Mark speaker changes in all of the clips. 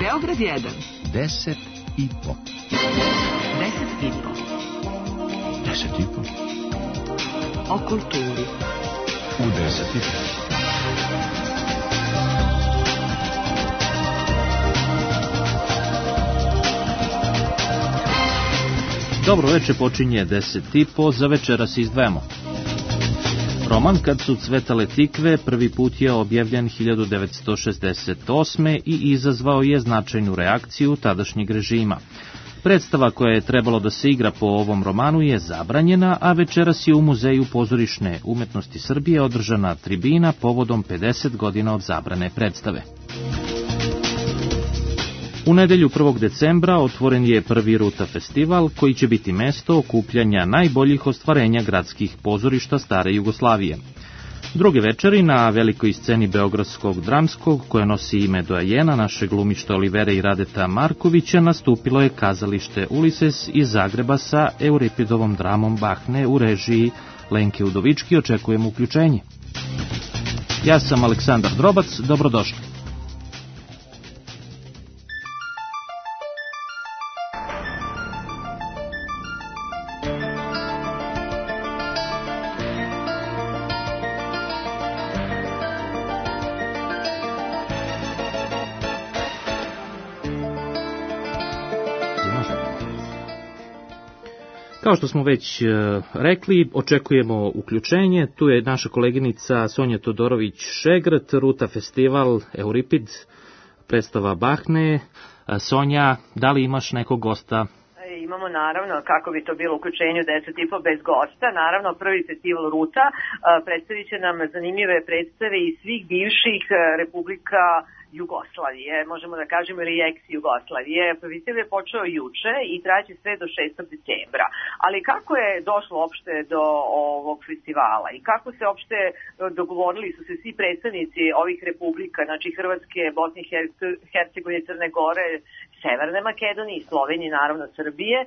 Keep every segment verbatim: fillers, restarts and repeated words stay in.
Speaker 1: Beograd jedan.
Speaker 2: Deset i po.
Speaker 1: Deset i po.
Speaker 2: Deset i po.
Speaker 1: O kulturi.
Speaker 2: U deset i po.
Speaker 3: Dobro veče, počinje deset i po, za večeras izdvajamo. Roman Kad su cvetale tikve prvi put je objavljen hiljadu devetsto šezdeset osme. i izazvao je značajnu reakciju tadašnjeg režima. Predstava koja je trebalo da se igra po ovom romanu je zabranjena, a večeras je u Muzeju pozorišne umetnosti Srbije održana tribina povodom pedeset godina od zabrane predstave. U nedelju prvog decembra otvoren je prvi Ruta festival, koji će biti mesto okupljanja najboljih ostvarenja gradskih pozorišta stare Jugoslavije. Druge večeri na velikoj sceni Beogradskog dramskog, koje nosi ime doajena naše glumište Olivere i Radeta Markovića, nastupilo je kazalište Ulises iz Zagreba sa Euripidovom dramom Bahne u režiji Lenke Udovički. Očekujemo uključenje. Ja sam Aleksandar Drobac, dobrodošli. Kao što smo već rekli, očekujemo uključenje. Tu je naša koleginica Sonja Todorović-Šegrt, Ruta festival, Euripid, predstava Bahne. Sonja, da li imaš nekog gosta?
Speaker 4: Imamo naravno, kako bi to bilo uključenju deset i po bez gosta, naravno prvi festival Ruta predstavit će nam zanimljive predstave iz svih bivših republika Jugoslavije, možemo da kažemo, ili ex-Jugoslavije. Festival je počeo juče i traće sve do šestog decembra. Ali kako je došlo uopšte do ovog festivala i kako se uopšte dogovorili su se svi predstavnici ovih republika, znači Hrvatske, Bosne i Hercegovine, Crne Gore, Severne Makedonije i Slovenije, naravno Srbije,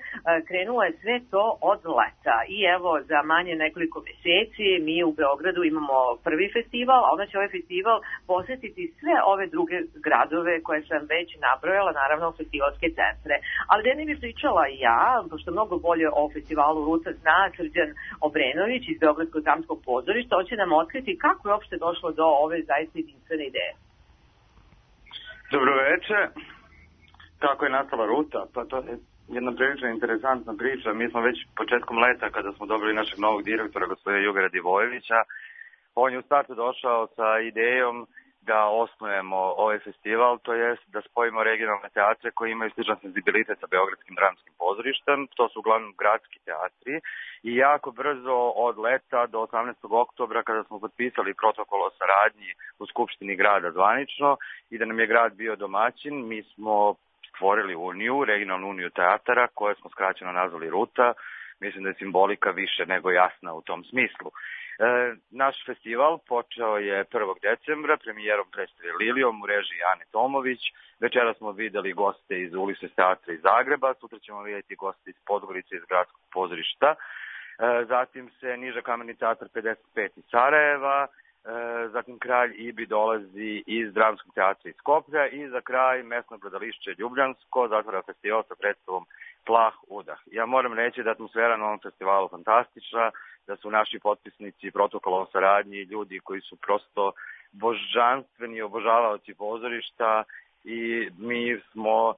Speaker 4: krenulo je sve to od leta. I evo, za manje nekoliko meseci mi u Beogradu imamo prvi festival, a onda će ovaj festival posetiti sve ove druge gradove koje sam već nabrojala, naravno festivalske centre. Ali da ne bih pričala ja, pošto mnogo bolje o festivalu Ruta zna Srđan Obrenović iz Beogradskog dramskog pozorišta, on će nam otkriti kako je uopšte došlo do ove zaista jedinstvene ideje.
Speaker 5: Dobro veče. Kako je nastala Ruta? Pa to je jedna prilično interesantna priča. Mi smo već početkom leta, kada smo dobili našeg novog direktora, gospodina Jugara Divojevića, on je u startu došao sa idejom da osnujemo ovaj festival, to jest da spojimo regionalne teatre koji imaju sličan senzibilitet sa Beogradskim dramskim pozorištem. To su uglavnom gradski teatri i jako brzo od leta do osamnaestog oktobra, kada smo potpisali protokol o saradnji u Skupštini grada zvanično i da nam je grad bio domaćin, mi smo stvorili uniju, regionalnu uniju teatara, koje smo skraćeno nazvali Ruta. Mislim da je simbolika više nego jasna u tom smislu. E, naš festival počeo je prvog decembra premijerom predstave Lilijom u režiji Ane Tomović. Večera smo videli goste iz Ulises teatra iz Zagreba, sutra ćemo vidjeti goste iz Podgorice, iz Gradskog pozorišta. E, zatim se Niža kamerni teatar pedeset pet iz Sarajeva, e, zatim Kralj Ibi dolazi iz Dramskog teatra iz Skoplja i za kraj Mesno gledališće Ljubljansko zatvara festival sa predstavom Plah udah. Ja moram reći da je atmosfera na ovom festivalu fantastična, da su naši potpisnici protokola o saradnji ljudi koji su prosto božanstveni obožavaoci pozorišta i mi smo e,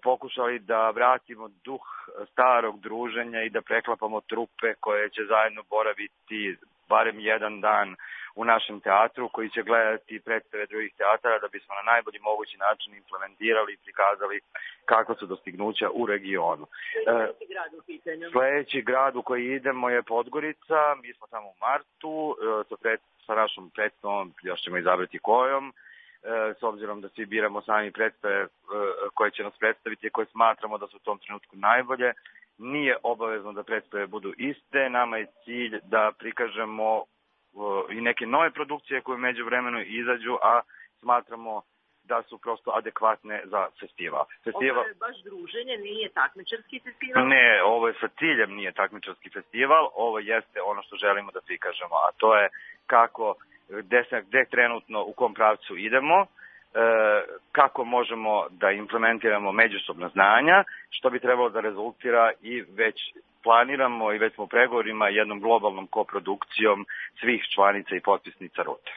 Speaker 5: pokušali da vratimo duh starog druženja i da preklapamo trupe koje će zajedno boraviti barem jedan dan u našem teatru, koji će gledati predstave drugih teatara da bismo na najbolji mogući način implementirali i prikazali kako su dostignuća u regionu. Sljedeći grad u pitanju. Sljedeći grad u koji idemo je Podgorica, mi smo tamo u martu, sa, pred, sa našom predstavom, još ćemo izabrati kojom, s obzirom da svi biramo sami predstave koje će nas predstaviti i koje smatramo da su u tom trenutku najbolje. Nije obavezno da predstave budu iste, nama je cilj da prikažemo i neke nove produkcije koje među vremenu izađu, a smatramo da su prosto adekvatne za festival. festival.
Speaker 4: Ovo je baš druženje, nije takmičarski festival?
Speaker 5: Ne, ovo je sa ciljem nije takmičarski festival, ovo jeste ono što želimo da prikažemo, a to je kako, gde, gde trenutno, u kom pravcu idemo, kako možemo da implementiramo međusobna znanja, što bi trebalo da rezultira i već planiramo i već smo u pregovorima jednom globalnom koprodukcijom svih članica i potpisnica rute.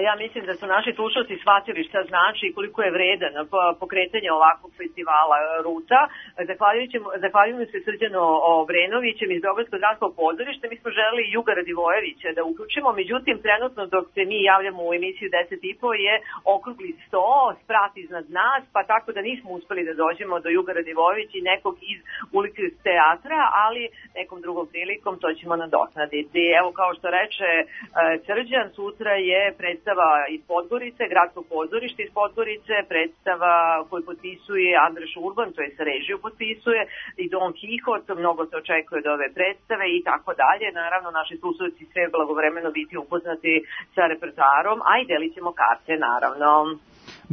Speaker 4: Ja mislim da su naši slušalci shvatili šta znači i koliko je vredan pokretanje ovakvog festivala Ruta. Zahvaljujem se Srđanu Obrenovićem iz Beogradskog dramskog pozorišta. Mi smo želeli Juga Radivojevića da uključimo, međutim trenutno dok se mi javljamo u emisiju deset i po je okrugli sto, sprat iznad nas, pa tako da nismo uspeli da dođemo do Juga Radivojevića i nekog iz ulice teatra, ali nekom drugom prilikom to ćemo nadoknaditi. Evo, kao što reče Srđan, sutra je predstava iz Podgorice, gradskog pozorišta iz Podgorice, predstava koju potpisuje Andreš Urban, to je sa režiju potpisuje, i Don Kihot, mnogo se očekuje od ove predstave i tako dalje. Naravno, naši slušalci sve blagovremeno biti upoznati sa repertoarom, a i delit ćemo karte, naravno.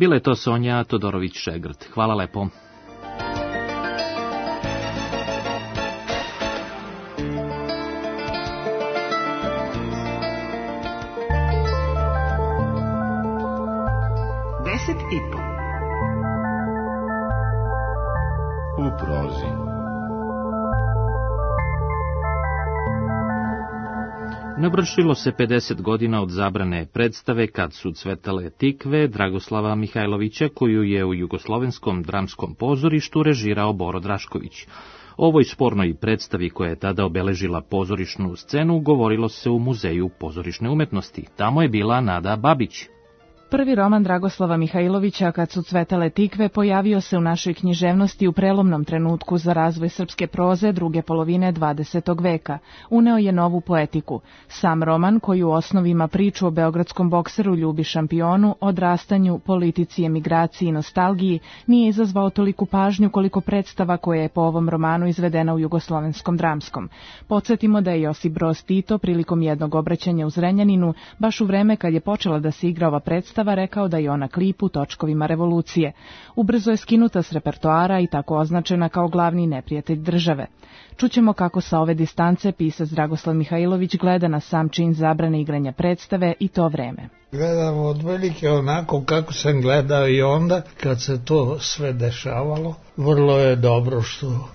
Speaker 3: Bila je to Sonja Todorović-Šegrt. Hvala lepo.
Speaker 1: I po.
Speaker 2: U prozi.
Speaker 3: Navršilo se pedeset godina od zabrane predstave Kad su cvetale tikve Dragoslava Mihajlovića, koju je u Jugoslovenskom dramskom pozorištu režirao Boro Drašković. O ovoj spornoj predstavi koja je tada obeležila pozorišnu scenu govorilo se u Muzeju pozorišne umetnosti. Tamo je bila Nada Babić.
Speaker 6: Prvi roman Dragoslava Mihajlovića, Kad su cvetale tikve, pojavio se u našoj književnosti u prelomnom trenutku za razvoj srpske proze druge polovine dvadesetog veka. Uneo je novu poetiku. Sam roman, koji u osnovi ima priču o beogradskom bokseru Ljubi Šampionu, odrastanju, politici, emigraciji i nostalgiji, nije izazvao toliku pažnju koliko predstava koja je po ovom romanu izvedena u Jugoslovenskom dramskom. Podsjetimo da je Josip Broz Tito prilikom jednog obraćanja u Zrenjaninu, baš u vreme kad je počela da se igra ova predstava, rekao da je ona klip u točkovima revolucije. Ubrzo je skinuta s repertoara i tako označena kao glavni neprijatelj države. Čućemo kako sa ove distance pisac Dragoslav Mihajlović gleda na sam čin zabrane igranja predstave i to vreme.
Speaker 7: Gledam od velike onako kako sam gledao i onda kad se to sve dešavalo. Vrlo je dobro što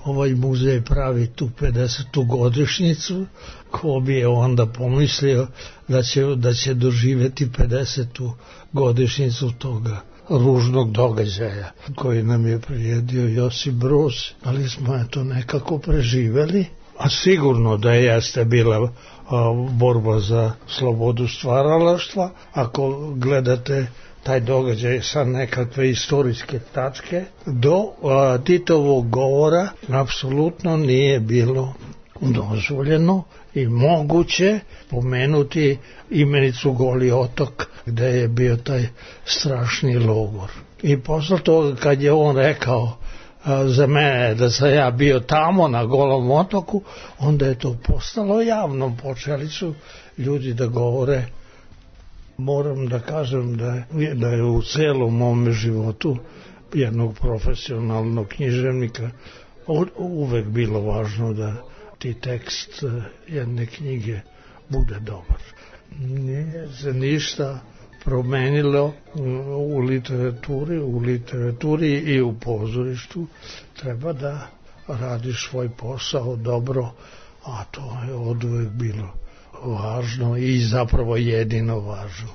Speaker 7: ovaj muzej pravi tu pedesetu godišnjicu, ko bi je onda pomislio da će, da će doživjeti pedesetu godišnjicu toga ružnog događaja koji nam je priredio Josip Broz, ali smo je to nekako preživeli, a sigurno da jeste bila a, borba za slobodu stvaralaštva. Ako gledate taj događaj sa nekakve istorijske tačke, do a, Titovog govora apsolutno nije bilo dozvoljeno i moguće pomenuti imenicu Goli otok gde je bio taj strašni logor. I posle toga kad je on rekao a, za mene da sam ja bio tamo na Golom otoku, onda je to postalo javno, počeli su ljudi da govore. Moram da kažem da je, da je u celom mome životu jednog profesionalnog književnika uvek bilo važno da ti tekst jedne knjige bude dobar. Nije se ništa promenilo u literaturi, u literaturi i u pozorištu. Treba da radiš svoj posao dobro, a to je oduvek bilo važno i zapravo jedino važno.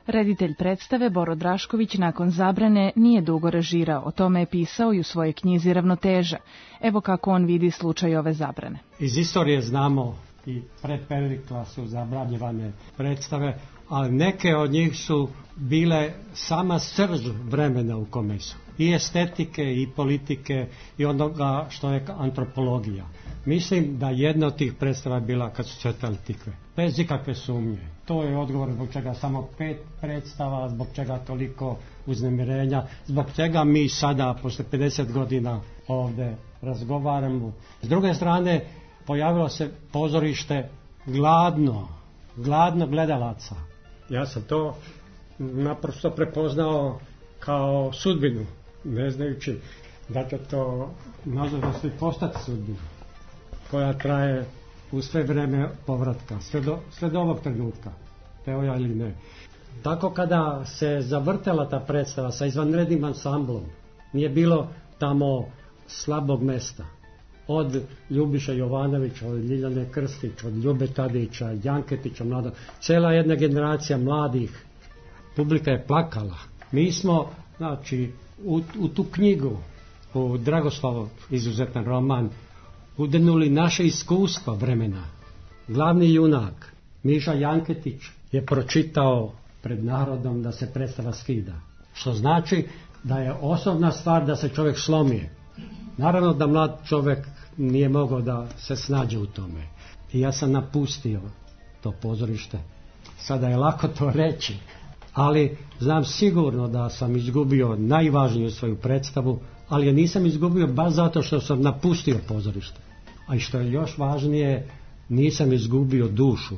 Speaker 6: Reditelj predstave Boro Drašković nakon zabrane nije dugo režirao, o tome je pisao i u svojoj knjizi Ravnoteža. Evo kako on vidi slučaj ove zabrane.
Speaker 8: Iz istorije znamo i pred Perikla su zabranjivane predstave, ali neke od njih su bile sama srž vremena u kome su. I estetike, i politike, i onoga što je antropologija. Mislim da jedna od tih predstava je bila Kad su cvetale tikve. Bez ikakve sumnje. To je odgovor zbog čega samo pet predstava, zbog čega toliko uznemirenja, zbog čega mi sada, posle pedeset godina, ovde razgovaramo. S druge strane, pojavilo se pozorište gladno, gladno gledalaca. Ja sam to naprosto prepoznao kao sudbinu, ne znajući da će to nažalost i postati sudbinu, koja traje u sve vreme povratka, sve do, sve do ovog trenutka, teo ja ili ne. Tako kada se zavrtela ta predstava sa izvanrednim ansamblom, nije bilo tamo slabog mesta. Od Ljubiša Jovanovića, od Ljiljane Krstić, od Ljube Tadića, Janketića, mladog, cela jedna generacija mladih, publika je plakala. Mi smo, znači, u, u tu knjigu, u Dragoslavov izuzetan roman, udenuli naše iskustva vremena. Glavni junak, Miša Janketić, je pročitao pred narodom da se predstava skida. Što znači da je osnovna stvar da se čovjek slomije. Naravno da mlad čovjek nije mogao da se snađe u tome. I ja sam napustio to pozorište. Sada je lako to reći, ali znam sigurno da sam izgubio najvažniju svoju predstavu, ali je nisam izgubio baš zato što sam napustio pozorište. A i što je još važnije, nisam izgubio dušu.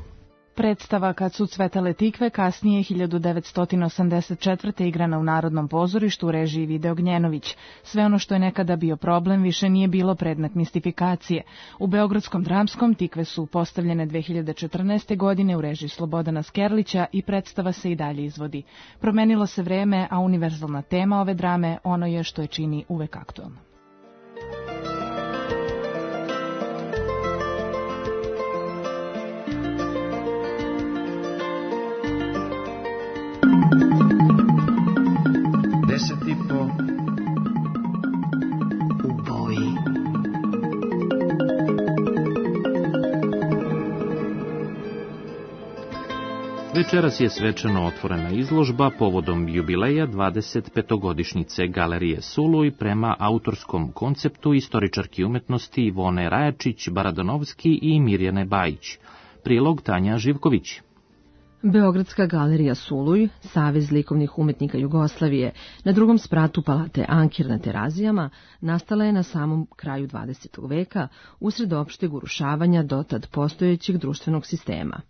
Speaker 6: Predstava Kad su cvetale tikve kasnije hiljadu devetsto osamdeset četvrte igrana u Narodnom pozorištu u režiji Vide Ognjenović. Sve ono što je nekada bio problem više nije bilo predmet mistifikacije. U Beogradskom dramskom tikve su postavljene dve hiljade četrnaeste. godine u režiji Slobodana Skerlića i predstava se i dalje izvodi. Promenilo se vreme, a univerzalna tema ove drame ono je što je čini uvek aktualno.
Speaker 1: Deset i po u boji.
Speaker 3: Večeras je svečano otvorena izložba povodom jubileja dvadeset petogodišnjice Galerije Suluj prema autorskom konceptu istoričarki umetnosti Ivone Rajačić-Baradanovski i Mirjane Bajić. Prilog Tanja Živković.
Speaker 9: Beogradska galerija Suluj, Savez likovnih umetnika Jugoslavije, na drugom spratu palate Ankir na Terazijama, nastala je na samom kraju dvadesetog veka, usred opšteg urušavanja dotad postojećeg društvenog sistema.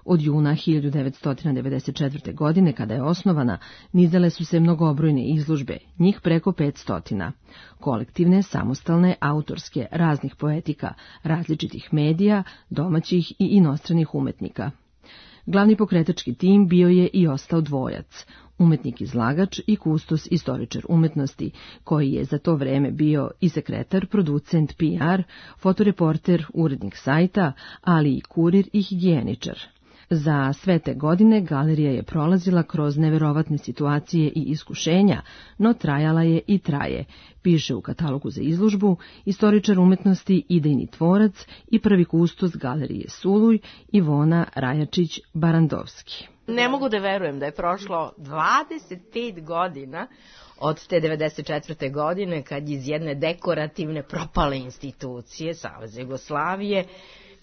Speaker 9: Od juna hiljadu devetsto devedeset četvrte. godine, kada je osnovana, nizale su se mnogobrojne izložbe, njih preko petstotina. Kolektivne, samostalne, autorske, raznih poetika, različitih medija, domaćih i inostranih umetnika. Glavni pokretački tim bio je i ostao dvojac, umetnik izlagač i kustos istoričar umetnosti, koji je za to vreme bio i sekretar, producent P R, fotoreporter, urednik sajta, ali i kurir i higijeničar. Za sve te godine galerija je prolazila kroz neverovatne situacije i iskušenja, no trajala je i traje, piše u katalogu za izložbu istoričar umetnosti, idejni tvorac i prvi kustos galerije Suluj Ivona Rajačić-Barandovski.
Speaker 10: Ne mogu da verujem da je prošlo dvadeset pet godina od te devedeset četvrte. godine, kad iz jedne dekorativne propale institucije Saveza Jugoslavije,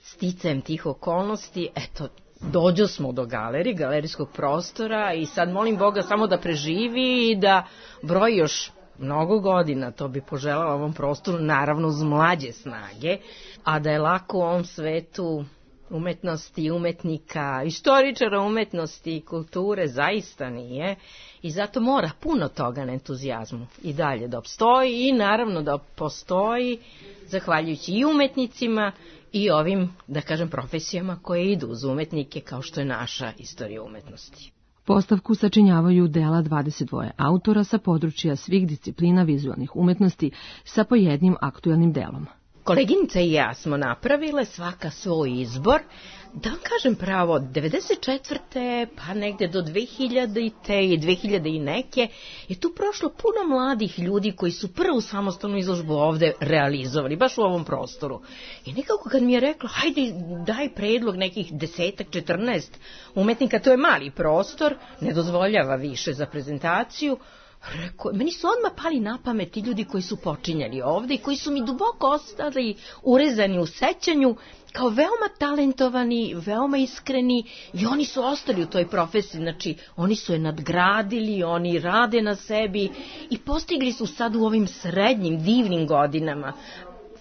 Speaker 10: sticajem tih okolnosti, eto, dođo smo do galerije, galerijskog prostora i sad molim Boga samo da preživi i da broji još mnogo godina, to bi poželala ovom prostoru, naravno uz mlađe snage, a da je lako u ovom svetu umetnosti, umetnika, istoričara umetnosti i kulture zaista nije i zato mora puno toga na entuzijazmu i dalje da opstoji i naravno da postoji zahvaljujući i umetnicima i ovim, da kažem, profesijama koje idu uz umetnike kao što je naša istorija umetnosti.
Speaker 9: Postavku sačinjavaju dela dvadeset dva autora sa područja svih disciplina vizualnih umetnosti sa po jednim aktuelnim delom.
Speaker 10: Koleginica i ja smo napravile svaka svoj izbor, da kažem pravo, devedeset četvrte pa negde do dve hiljadite i dve hiljade i neke je tu prošlo puno mladih ljudi koji su prvu samostalnu izložbu ovde realizovali, baš u ovom prostoru. I nekako kad mi je rekla, hajde daj predlog nekih desetak, četrnaest umetnika, to je mali prostor, ne dozvoljava više za prezentaciju, Reko, meni su odmah pali na pamet ti ljudi koji su počinjali ovde i koji su mi duboko ostali urezani u sećanju kao veoma talentovani, veoma iskreni i oni su ostali u toj profesiji, znači oni su je nadgradili, oni rade na sebi i postigli su sad u ovim srednjim divnim godinama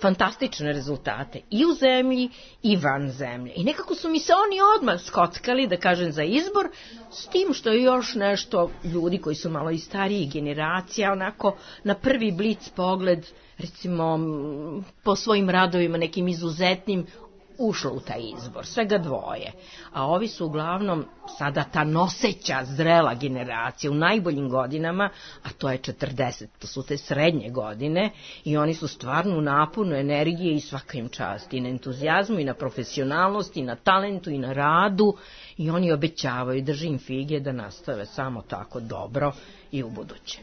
Speaker 10: fantastične rezultate i u zemlji i van zemlje. I nekako su mi se oni odmah skockali, da kažem, za izbor, s tim što je još nešto ljudi koji su malo i stariji generacija, onako na prvi blic pogled, recimo po svojim radovima nekim izuzetnim, ušlo u taj izbor, svega dvoje. A ovi su uglavnom sada ta noseća, zrela generacija u najboljim godinama, a to je četrdeset, to su te srednje godine i oni su stvarno u naponu energije i svaka im čast, i na entuzijazmu, i na profesionalnosti, i na talentu, i na radu, i oni obećavaju, drži im fige da nastave samo tako dobro i u buduće.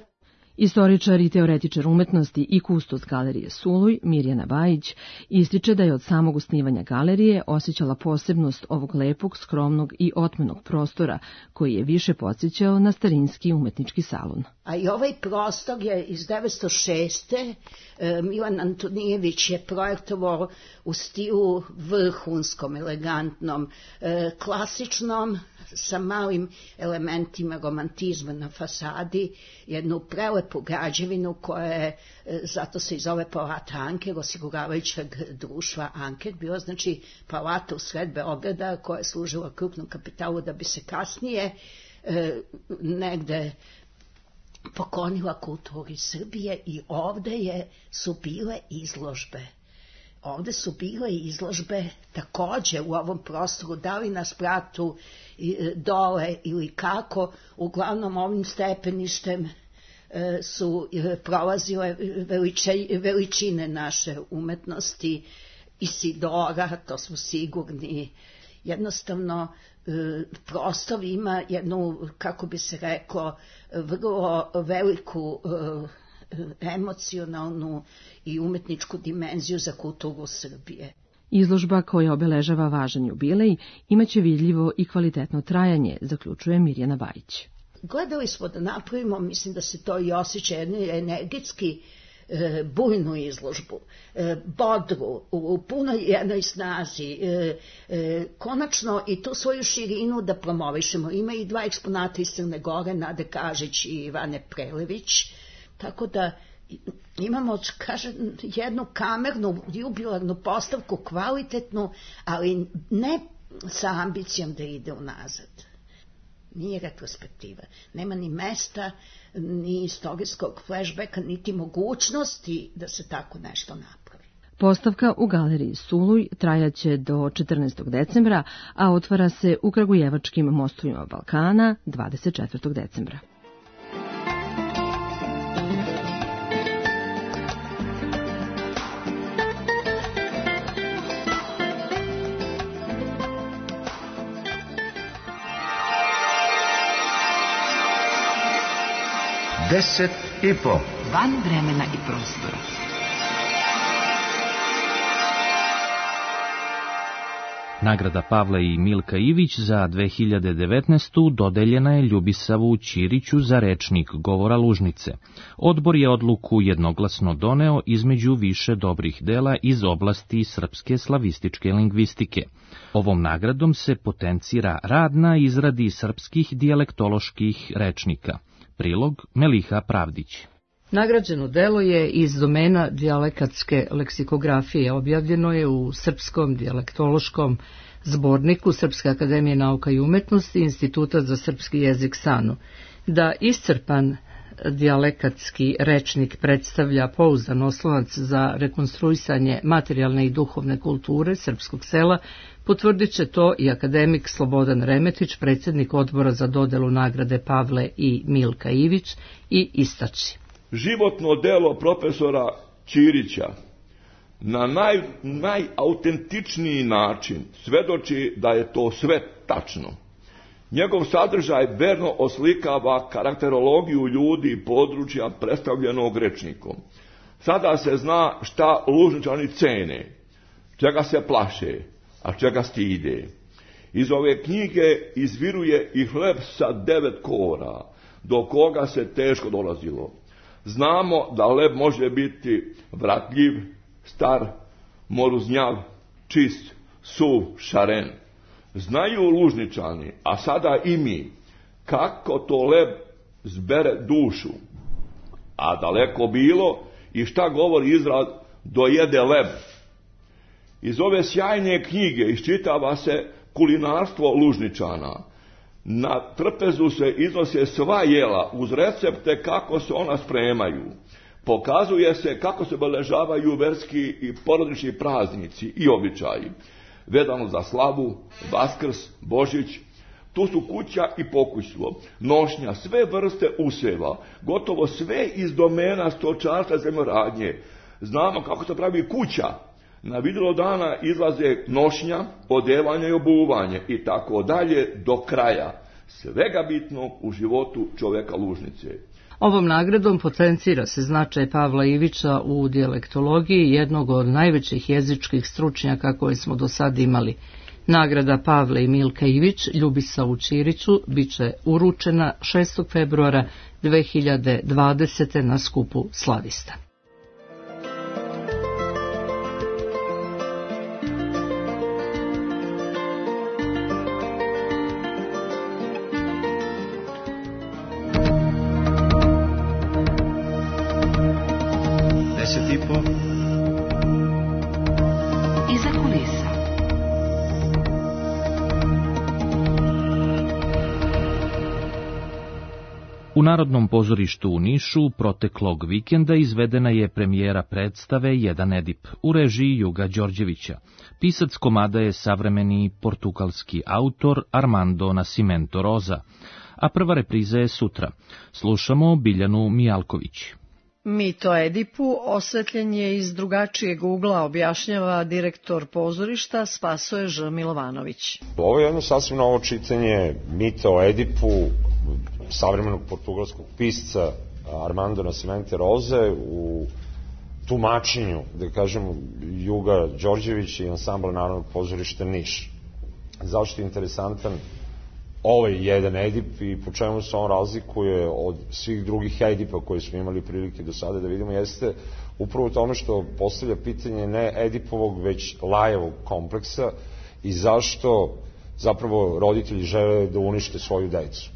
Speaker 9: Istoričar i teoretičar umetnosti i kustos galerije Suluj, Mirjana Bajić, ističe da je od samog osnivanja galerije osjećala posebnost ovog lepog, skromnog i otmenog prostora, koji je više podsjećao na starinski umetnički salon.
Speaker 11: A i ovaj prostor je iz devetsto šeste. Milan Antonijević je projektovao u stilu vrhunskom, elegantnom, klasičnom, sa malim elementima romantizma na fasadi, jednu prelepu građevinu koja je, zato se i zove palata Anker, osiguravajućeg društva Anker, bila znači palata u sred Beograda koja je služila krupnom kapitalu da bi se kasnije e, negde poklonila kulturi Srbije i ovde je, su bile izložbe. Ovde su bile izložbe takođe u ovom prostoru, da li na spratu dole ili kako, uglavnom ovim stepeništem su prolazile veliče, veličine naše umetnosti, Isidora, to smo sigurni. Jednostavno, prostor ima jednu, kako bi se reklo, vrlo veliku emocionalnu i umetničku dimenziju za kulturu Srbije.
Speaker 9: Izložba koja obeležava važan jubilej imaće vidljivo i kvalitetno trajanje, zaključuje Mirjana Bajić.
Speaker 11: Gledali smo da napravimo, mislim da se to i osjeća, jednu energetski e, bujnu izložbu, e, bodru, u punoj jednoj snazi, e, e, konačno i tu svoju širinu da promovišemo. Ima i dva eksponata iz Crne Gore, Nade Kažić i Ivane Prelević, tako da imamo, kažem, jednu kamernu, jubilarnu postavku, kvalitetnu, ali ne sa ambicijom da ide unazad. Nije retrospektiva. Nema ni mesta, ni istorijskog flashbacka, niti mogućnosti da se tako nešto napravi.
Speaker 9: Postavka u galeriji Suluj trajaće do četrnaestog decembra, a otvara se u Kragujevačkim mostovima Balkana dvadeset četvrtog decembra.
Speaker 2: Deset i po.
Speaker 1: Van vremena i prostora.
Speaker 3: Nagrada Pavle i Milka Ivić za dve hiljade devetnaestu. dodeljena je Ljubisavu Ćiriću za rečnik govora Lužnice. Odbor je odluku jednoglasno doneo između više dobrih dela iz oblasti srpske slavističke lingvistike. Ovom nagradom se potencira rad na izradi srpskih dijalektoloških rečnika. Prilog Meliha Pravdić.
Speaker 12: Nagrađeno delo je iz domena dijalekatske leksikografije. Objavljeno je u Srpskom dijalektološkom zborniku Srpske akademije nauka i umetnosti i Instituta za srpski jezik SANU. Da iscrpan dijalekatski rečnik predstavlja pouzdan oslonac za rekonstruisanje materijalne i duhovne kulture srpskog sela, potvrdit će to i akademik Slobodan Remetić, predsjednik odbora za dodelu nagrade Pavle i Milka Ivić, i istači.
Speaker 13: Životno delo profesora Ćirića na naj, najautentičniji način svedoči da je to sve tačno. Njegov sadržaj verno oslikava karakterologiju ljudi i područja predstavljenog rečnikom. Sada se zna šta Lužničani cene, čega se plaše, a čega stide. Iz ove knjige izviruje i hleb sa devet kora, do koga se teško dolazilo. Znamo da leb može biti vratljiv, star, moruznjav, čist, suv, šaren. Znaju Lužničani, a sada i mi, kako to leb zbere dušu. A daleko bilo i šta govori izraz dojede leb. Iz ove sjajne knjige iščitava se kulinarstvo Lužničana. Na trpezu se iznose sva jela uz recepte kako se ona spremaju. Pokazuje se kako se obeležavaju verski i porodični praznici i običaji. vezano za slavu, Vaskrs, Božić. Tu su kuća i pokućstvo, nošnja, sve vrste useva, gotovo sve iz domena stočarstva, zemljoradnje. Znamo kako se pravi kuća. Na vidjelo dana izlaze nošnja, odevanje i obuvanje i tako dalje do kraja. Svega bitnog u životu čoveka Lužnice.
Speaker 12: Ovom nagradom potencira se značaj Pavla Ivića u dijalektologiji, jednog od najvećih jezičkih stručnjaka koje smo do sad imali. Nagrada Pavle i Milka Ivić Ljubisavu Ćiriću biće uručena šestog februara dve hiljade dvadesete. na skupu slavista.
Speaker 3: U Narodnom pozorištu u Nišu proteklog vikenda izvedena je premijera predstave Jedan Edip u režiji Juga Đorđevića. Pisac komada je savremeni portugalski autor Armando Nascimento Rosa, a prva repriza je sutra. Slušamo Biljanu Mijalković.
Speaker 14: Mit o Edipu osvetljen je iz drugačijeg ugla, objašnjava direktor pozorišta Spasoje Ž. Milovanović.
Speaker 15: Ovo je jedno sasvim novo čitanje mita o Edipu savremenog portugalskog pisca Armando Nascimento Roze u tumačenju, da kažem, Juga Đorđevića i ansambla Narodnog pozorišta Niš. Zašto je interesantan ovaj jedan Edip i po čemu se on razlikuje od svih drugih Edipa koje smo imali prilike do sada da vidimo, jeste upravo tome što postavlja pitanje ne Edipovog, već Lajevog kompleksa i zašto zapravo roditelji žele da unište svoju decu.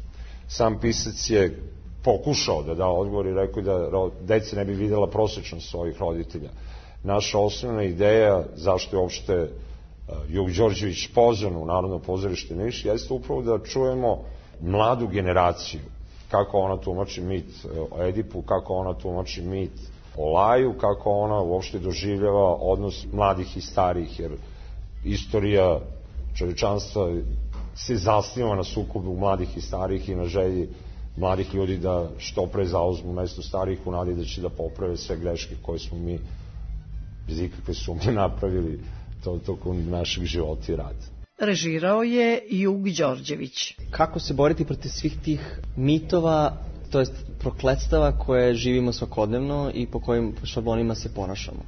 Speaker 15: Sam pisac je pokušao da da odgovor i rekao da deca ne bi videla prosečnost svojih roditelja. Naša osnovna ideja zašto je uopšte Jug Đorđević pozvan u Narodno pozorište Niš jeste upravo da čujemo mladu generaciju, kako ona tumači mit o Edipu, kako ona tumači mit o Laju, kako ona uopšte doživljava odnos mladih i starih, jer istorija čovječanstva se zasniva na sukobu mladih i starih i na želji mladih ljudi da što pre zauzmu mesto starih u nadi da će da poprave sve greške koje smo mi bez ikakve sumnje napravili to tokom našeg života i rada.
Speaker 14: Režirao je Jug Đorđević.
Speaker 16: Kako se boriti protiv svih tih mitova, to jest prokletstava koje živimo svakodnevno i po kojim šablonima se ponašamo?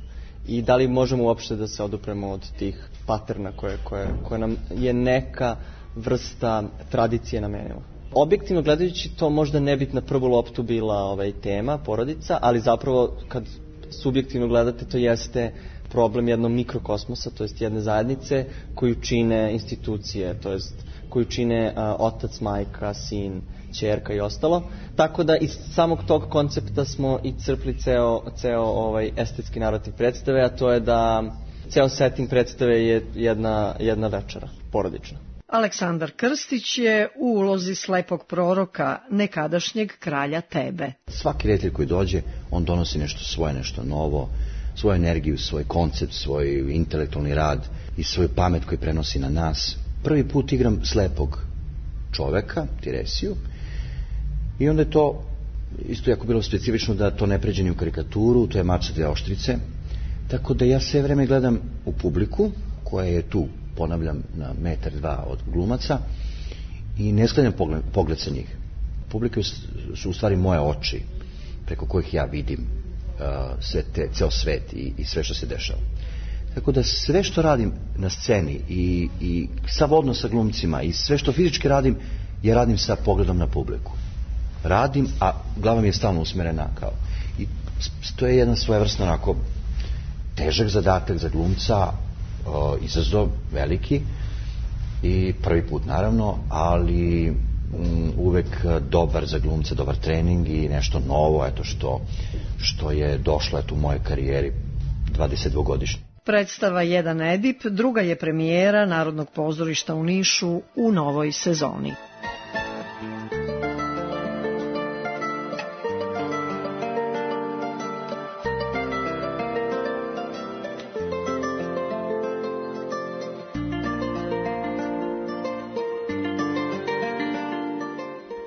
Speaker 16: I da li možemo uopšte da se odupremo od tih paterna koje, koje, koje nam je neka vrsta tradicije namenila? Objektivno gledajući, to možda ne bi na prvu loptu bila ovaj, tema, porodica, ali zapravo kad subjektivno gledate, to jeste problem jednog mikrokosmosa, to jest jedne zajednice koju čine institucije, to jest koju čine a, otac, majka, sin, ćerka i ostalo. Tako da iz samog tog koncepta smo i crpli ceo, ceo ovaj estetski narativ predstave, a to je da ceo setting predstave je jedna, jedna večera, porodična.
Speaker 14: Aleksandar Krstić je u ulozi slepog proroka, nekadašnjeg kralja Tebe.
Speaker 17: Svaki reditelj koji dođe, on donosi nešto svoje, nešto novo, svoju energiju, svoj koncept, svoj intelektualni rad i svoju pamet koju prenosi na nas. Prvi put igram slepog čoveka, Tiresiju, i onda je to isto jako bilo specifično da to ne pređe ni u karikaturu, to je mač sa dve oštrice, tako da ja sve vreme gledam u publiku, koja je tu, ponavljam, na metar dva od glumaca, i ne sklanjam pogled, pogled sa njih. Publika su u stvari moje oči, preko kojih ja vidim uh, sve te, ceo svet i, i sve što se dešava. Tako da sve što radim na sceni i, i sav odnos sa glumcima i sve što fizički radim, ja radim sa pogledom na publiku. Radim, a glava mi je stalno usmerena kao. I to je jedan svojevrsno onako težak zadatak za glumca, uh, izazov veliki i prvi put naravno, ali um, uvek dobar za glumca, dobar trening i nešto novo, eto što, što je došlo eto, u mojoj karijeri dvadesetdvogodišnje.
Speaker 14: Predstava Jedan Edip druga je premijera Narodnog pozorišta u Nišu u novoj sezoni.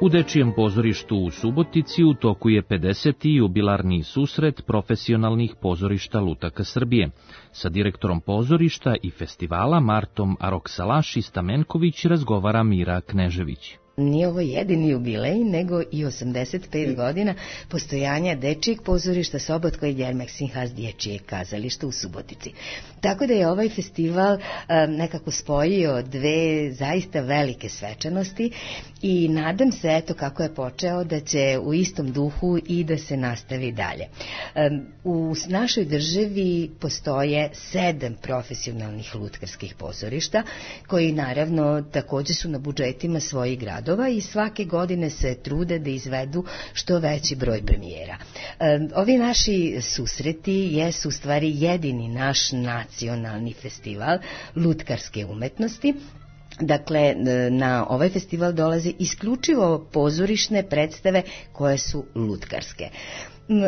Speaker 3: U Dečijem pozorištu u Subotici u toku je pedeseti jubilarni susret profesionalnih pozorišta lutaka Srbije. Sa direktorom pozorišta i festivala Martom Aroksalaši Stamenković razgovara Mira Knežević.
Speaker 18: Nije ovo jedini jubilej, nego i osamdeset pet godina postojanja Dečijeg pozorišta Sobotko i Djermek Sinhas Dječijeg kazališta u Subotici. Tako da je ovaj festival um, nekako spojio dve zaista velike svečanosti i nadam se, eto kako je počeo, da će u istom duhu i da se nastavi dalje. Um, u našoj državi postoje sedam profesionalnih lutkarskih pozorišta, koji naravno takođe su na budžetima svojih gradova i svake godine se trude da izvedu što veći broj premijera. Ovi naši susreti jesu u stvari jedini naš nacionalni festival lutkarske umetnosti. Dakle, na ovaj festival dolaze isključivo pozorišne predstave koje su lutkarske.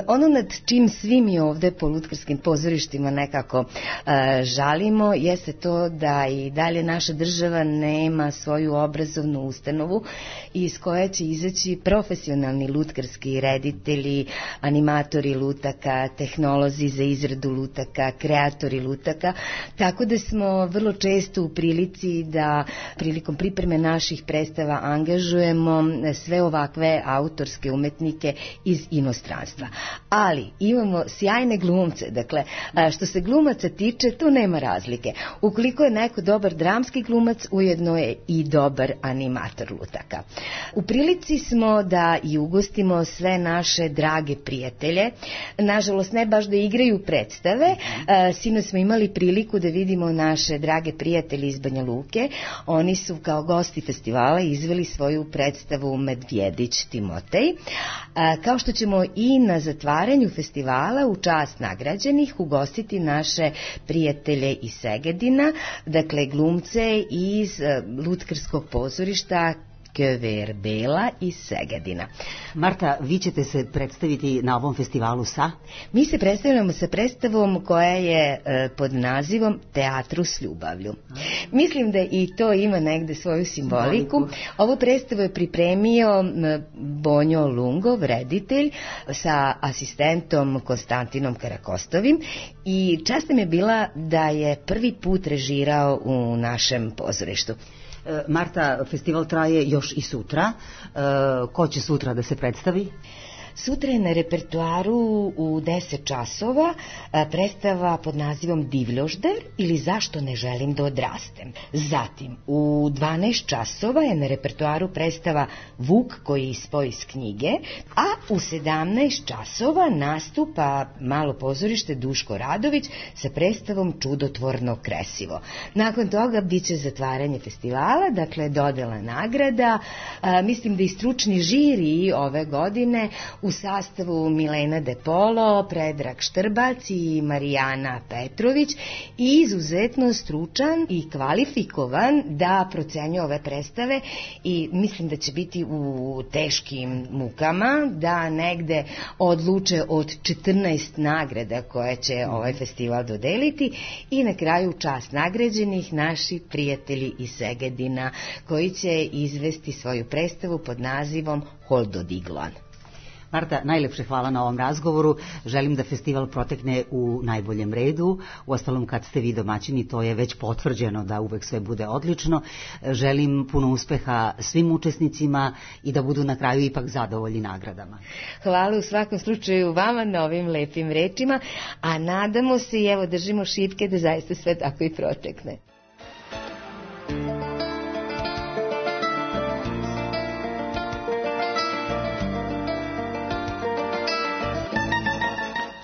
Speaker 18: Ono nad čim svi mi ovde po lutkarskim pozorištima nekako uh, žalimo jeste to da i dalje naša država nema svoju obrazovnu ustanovu iz koje će izaći profesionalni lutkarski reditelji, animatori lutaka, tehnolozi za izradu lutaka, kreatori lutaka, tako da smo vrlo često u prilici da prilikom pripreme naših predstava angažujemo sve ovakve autorske umetnike iz inostranstva. Ali imamo sjajne glumce, dakle, što se glumaca tiče, tu nema razlike. Ukoliko je neko dobar dramski glumac, ujedno je i dobar animator lutaka. U prilici smo da i ugostimo sve naše drage prijatelje, nažalost ne baš da igraju predstave, sinoć smo imali priliku da vidimo naše drage prijatelje iz Banja Luke, oni su kao gosti festivala izveli svoju predstavu Medvjedić Timotej, kao što ćemo i na zatvaranju festivala u čast nagrađenih ugostiti naše prijatelje iz Segedina, dakle glumce iz lutkarskog pozorišta Köver Bela iz Segedina.
Speaker 19: Marta, vi ćete se predstaviti na ovom festivalu sa?
Speaker 18: Mi se predstavljamo sa predstavom koja je e, pod nazivom Teatru s ljubavlju. Mislim da i to ima negde svoju simboliku. simboliku. Ovu predstavu je pripremio Bonjo Lungov, reditelj, sa asistentom Konstantinom Karakostovim i čast nam je bila da je prvi put režirao u našem pozorištu.
Speaker 19: Marta, festival traje još i sutra. Ko će sutra da se predstavi?
Speaker 18: Sutra je na repertuaru u deset časova predstava pod nazivom Divljožder ili Zašto ne želim da odrastem. Zatim, u dvanaest časova je na repertuaru predstava Vuk koji ispoji iz knjige, a u sedamnaest časova nastupa malo pozorište Duško Radović sa predstavom Čudotvorno kresivo. Nakon toga biće zatvaranje festivala, dakle dodela nagrada. A, mislim da i stručni žiri ove godine u sastavu Milena De Polo, Predrag Štrbac i Marijana Petrović i izuzetno stručan i kvalifikovan da procenjuje ove predstave i mislim da će biti u teškim mukama da negde odluče od četrnaest nagrada koje će ovaj festival dodeliti i na kraju čast nagrađenih naši prijatelji iz Segedina koji će izvesti svoju predstavu pod nazivom Holdodiglan.
Speaker 19: Marta, najlepše hvala na ovom razgovoru. Želim da festival protekne u najboljem redu. Uostalom, kad ste vi domaćini, to je već potvrđeno da uvek sve bude odlično. Želim puno uspeha svim učesnicima i da budu na kraju ipak zadovoljni nagradama.
Speaker 18: Hvala u svakom slučaju vama na ovim lepim rečima, a nadamo se i evo držimo šipke da zaista sve tako i protekne.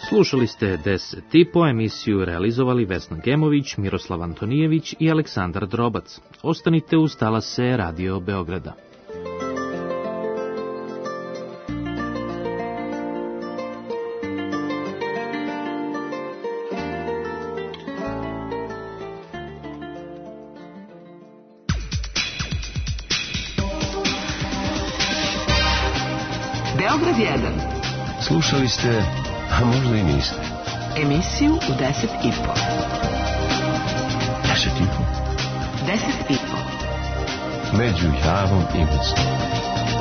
Speaker 3: Slušali ste deset i po, emisiju realizovali Vesna Gemović, Miroslav Antonijević i Aleksandar Drobac. Ostanite uz talase Radio Beograda.
Speaker 1: Beograd jedan.
Speaker 2: Slušali ste, a možda i niste,
Speaker 1: emisiju u deset i po.
Speaker 2: Deset i po?
Speaker 1: Deset i po.
Speaker 2: Među Javom i Mocnom.